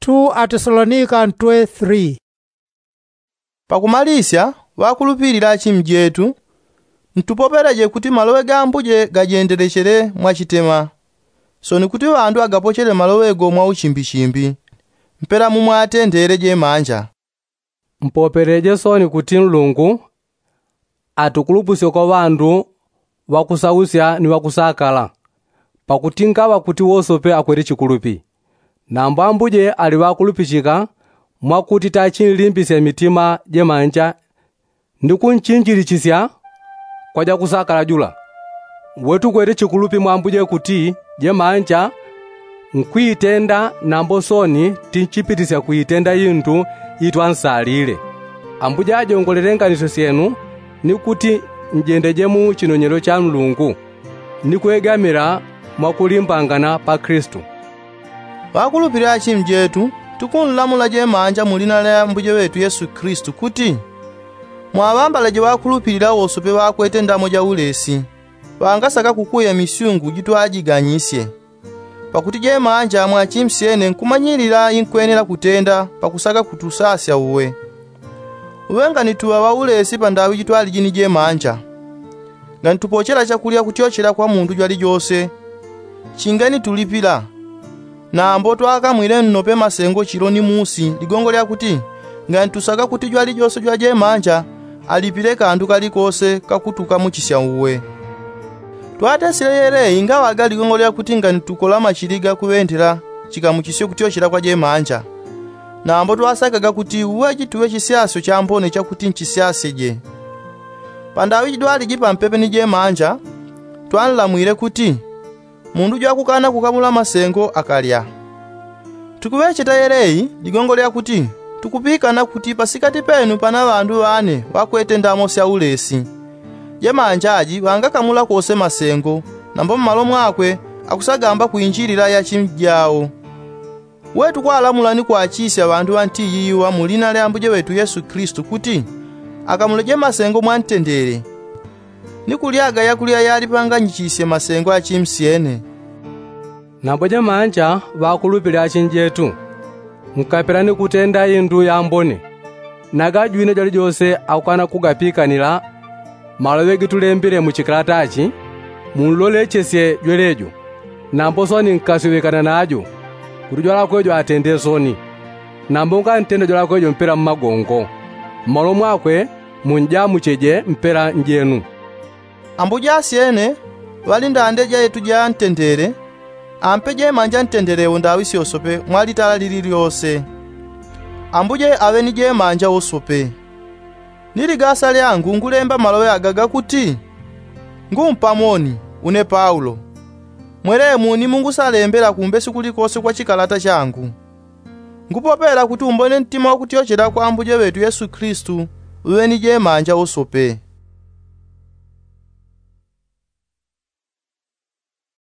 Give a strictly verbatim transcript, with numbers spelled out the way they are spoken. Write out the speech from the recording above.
Two atesalonika ntwe three. Pakumalisya, ŵakulupilila achimi jetu, ntupopeleje kuti maloŵe ga ambuje gajendelechele mwachitema, soni kuti ŵandu agapochele maloŵe go mwauchimbichimbi, mpela mumwatendele jemanja. Mpopeleje soni kuti nlungu atukulupusye kwa ŵandu ŵakusausya ni ŵakusakala, pakuti ngaŵa kuti wosope akwete chikulupi. Nambo ambuje ali ŵakulupichika, mwakuti tachinlimbisya mitima jemanja ni kunchinjilichisya kwa jakusakala jula. We tukwete chikulupi mwa ambuje kuti jemanja nkwitenda, nambo soni tinchipitisya kwitenda indu itwansalile. Ambuje ajongolele nganisyo syenu, ni kuti njendeje mu chinonyelo cha nlungu, ni kwegamila mwakulimbangana pa kristu. Ŵakulupilila achimi jetu, tukunlamula jemanja mu lina lya ambuje ŵetu yesu kristu kuti, mwaŵambaleje ŵakulupilila wosope ŵakwete ndamo ja ulesi, ŵangasaka kukuya misyungu jitwajiganyisye. Pakuti jemanja mwachimsyene nkumanyilila inkwenela kutenda pakusaka kutusasya uwe. Uwe nganituŵa ŵaulesi pandaŵi jitwaliji ni jemanja, nganitupochela chakulya kutyochela kwa mundu jwalijose, chinganitulipila. Nambo twakamwile nnope masengo chilo ni musi ligongo lya kuti, nganitusaka kuti jwalijose jwajemanja alipile kandu kalikose kakutukamuchisya uwe. Twatesile yeleyi ngaŵaga ligongo lya kuti nganitukola machili ga kuŵendela chikamuchisyo kutyochela kwa jemanja. Nambo twasakaga kuti uwe jituŵe chisyasyo chambone chakuti nchisyasyeje. Pandaŵi jidwaliji pampepe ni jemanja, twanlamwile kuti, mundu jwakukana kukamula masengo akalya. Tukuŵecheta yeleyi ligongo lya kuti, tukupikana kuti pasikati penu pana ŵandu ŵane ŵakwete ndamo sya ulesi. Jemanja aji ŵangakamula kose masengo, nambo mmalo mwakwe akusagamba kwinjilila yachimi jawo. We tukwalamula ni kwachisya ŵandu ŵa nti yiiwa mu lina lya ambuje ŵetu yesu kristu kuti, akamuleje masengo mwantendele, ni kulyaga yakulya yalipanganyichisye masengo achimsyene. Nambo jemanja ŵakulupile achinjetu, nkapela ni kutenda indu yambone, na gajwine jalijose akukana kugapikanila maloŵe gitulembile mu chikalata chi, munlolechesye jwelejo. Nambo soni nkasyoŵekana najo, kuti jwalakwejo atende soni. Nambo ngantenda jwalakwejo mpela mmagongo, mmalo mwakwe munjamucheje mpela njenu. Ambuja asyene ŵali ndande ja yetu ja ntendele, ampe jemanja ntendele wo ndaŵi syosope mwa litala lili lyose. Ambuje aŵe ni jemanja wosope. Ni ligasa lyangu ngulemba maloŵe aga gakuti, ngumpamoni, une paulo. Mwelemu ni mungusalembela kumbesi kulikose kwa chikalata changu. Ngupopela kuti umbone ntima wakutyochela kwa ambuje ŵetu yesu kristu uŵe ni jemanja wosope.